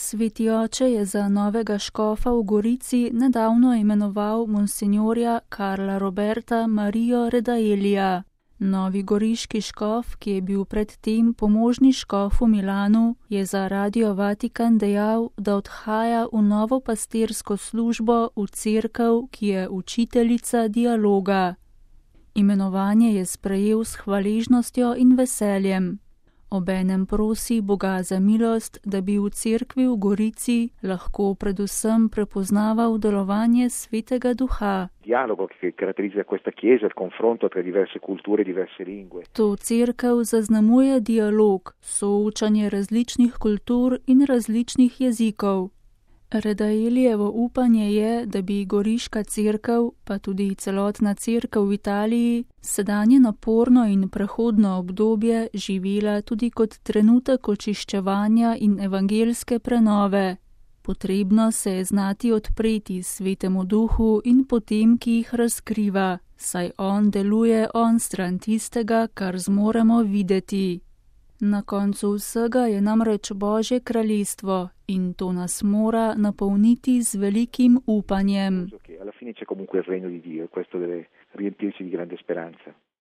Sveti oče je za novega škofa v Gorici nedavno imenoval monsinjorja Karla Roberta Marijo Redaelija. Novi goriški škof, ki je bil predtem pomožni škof v Milanu, je za Radio Vatikan dejal, da odhaja v novo pastirsko službo v cerkev, ki je učiteljica dialoga. Imenovanje je sprejel s hvaležnostjo in veseljem. Obenem prosi Boga za milost, da bi v cerkvi v Gorici lahko predvsem prepoznaval delovanje Svetega Duha. To cerkev zaznamuje dialog, soočanje različnih kultur in različnih jezikov. Redaeljevo upanje je, da bi goriška cerkev, pa tudi celotna cerkev v Italiji, sedanje naporno in prehodno obdobje živela tudi kot trenutek očiščevanja in evangelske prenove. Potrebno se je znati odpreti Svetemu Duhu in potem, ki jih razkriva, saj on deluje onstran tistega, kar zmoremo videti. Na koncu vsega je namreč Božje kraljestvo in to nas mora napolniti z velikim upanjem.